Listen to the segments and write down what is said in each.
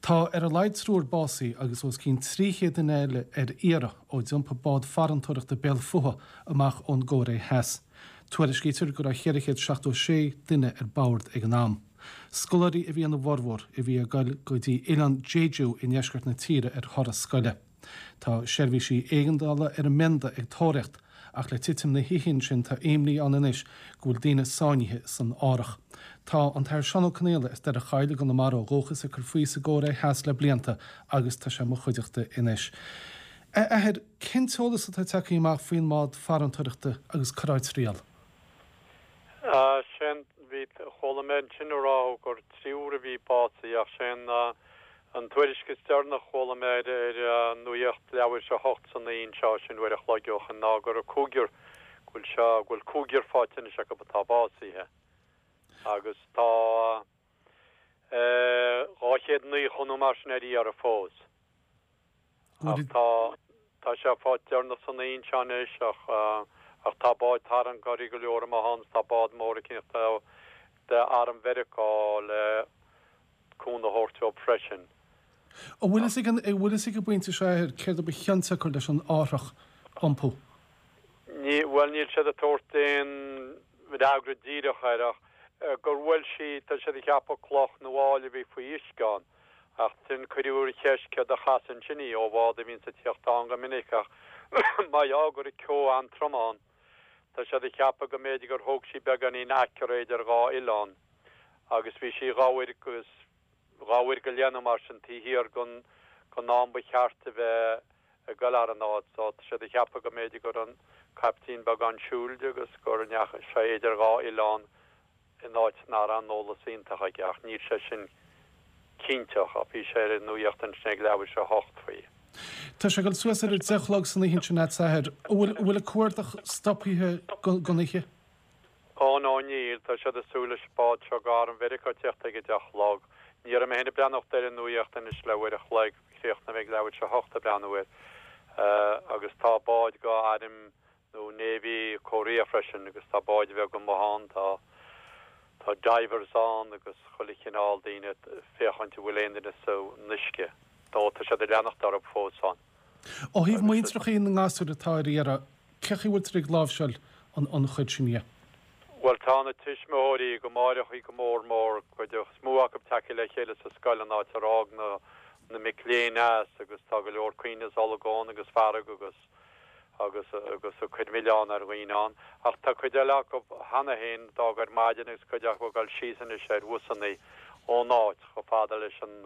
Tá ar a laghad triúr básaithe agus os cionn 300 duine eile ar iarraidh ó d'iompaigh bád farantóireachta béal fúthu amach ón gCóiré Theas. Tuairiscítear go raibh 476 duine ar bord ag an am. Scoláirí a bhí ina bhformhór, a bhí ag goil go dtí oileán Jeju i ndeisceart na tíre ar thuras scoile. Tá seirbhísí éigeandála ar an mbionda ag tóraíocht, ach le titim na hoíche ansin tá imní ann anois go bhfuil daoine sáinnithe san árthach. Tá an tAthair Seán Ó Conaola as Doire Choill i gConamara ó dhúchas ag cur faoi sa gCóiré Theas le blianta agus tá sé i mo chuideachta anois. A Athair, cén t-eolas atá tagtha amach faoin mbád farantóireachta agus cur á triail? Sé'n, bhí, chuala mé ansin ag rá gur triúr a bhí básaithe ach sé'n an tuairisc is deireanach a chuala mé ar ar nuaíocht leathuair tar éis a hocht san oíche anseo, sin uair a chloig ó shoin, ná go raibh cúigear, go bhfuil seo, go bhfuil cúigear faighte anois acu atá básaithe. Agus tá 290 nó mar sin ar iarraidh fós. Ach tá, tá sé faighte deireanach san oíche anseo anois ach, ach tá báid tarrthála go leor amuigh ann, tá bád mór eicínt de arm Mheiriceá le cúnamh a thabhairt dóibh freisin. An bhfuil fhios ag an, an bhfuil fhios ag an bpointe seo, a Athair, céard a ba chionsiocair leis an árthach iompú? Ní, bhuel níl siad ag tabhairt aon fhreagra díreach air ach gur bhuail sí, tá siad ag ceapadh cloch nó áille a bhí faoi uisce ann. Ach ansin cuireadh an cheist céard a chas ansin í, ó bhád a bhíonns ag tíocht ann go minic ach má dheá go raibh ceo an-trom ann, tá siad ag ceapadh go mb'fhéidir gur thóg sí beagáinín aicearra idir dhá oileán agus bhí sí dhá uair agus dhá uair go leith nó mar sin taobh thiar den den am ba cheart a bheith ag goil thar an áit so tá siad ag ceapadh go mb'fhéidir go raibh an caiptín beagán siúil agus gur ndeachaigh sé idir dhá oileán in áit nach raibh an eolas iontach aige, ach níl sé sin cinnteach, ach bhí sé ar an nuaíocht ansin ag leathuair tar éis a hocht faoi. Tá sé ag dul suas ar a deich a chlog san oíche ansin a'd, a Athair. An bhfuil, an bhfuil an cuardach stoptha don oíche? Ó no, níl. Tá siad ag súil leis an bád seo go Arm Mheiriceá tíocht ag a deich a chlog. Ní raibh mé féin ag breathnócht ar an nuaíocht anois le uair a chloig, chríochnaigh mé ag leathuair tar éis a hocht ag breathnú air. Agus tá báid go airm nó Navy Korea freisin agus tá báid bheaga amuigh ann, tá tá divers ann agus chuile chineál daoine ag féachaint an bhfuil aon duine san uisce. Nó tá siad ag leanacht orthu fós ann. Ó thaobh muintreachaí na ngasúr atá ar iarraidh, cé chaoi a bhfuiltear ag láimhseáil an chuid sin dhe? Bhuel tá na tuismitheoirí go máithreachaí go mór mór, cuid is mó acu tagtha le chéile sa scoil an áit ar fhág na na mic léinn as agus tá go leor caoineadh is olagón agus fearg agus agus agus ag cur milleán ar dhaoine ann. Ach tá cuid eile acu cheana féin, d'fhág ar maidin agus cuid acu ag dul síos anois ar bhusannaí ón áit chomh fada leis an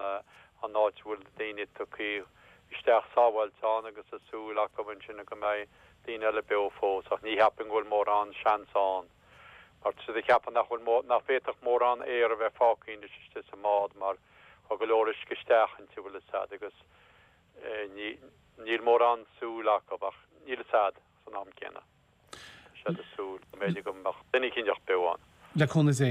an áit a bhfuil daoine tugtha isteach sábháilte ann agus tá súil acu ansin go mbeidh daoine eile beo fós. Ach ní cheapaim go bhfuil mórán seans ann mar tá siad ag ceapadh nach bhfuil mó nach bhféadfadh mórán aer a bheith fágtha anois istigh sa mbád mar tá go leor uisce isteach inti bhfuil fhios a'd agus Níl mórán súil acu, ach níl fhios a'd san am céanna. Tá siad ag súil go mb'fhéidir go mbeadh duine eicínt beo ann. Le cúnamh Dé.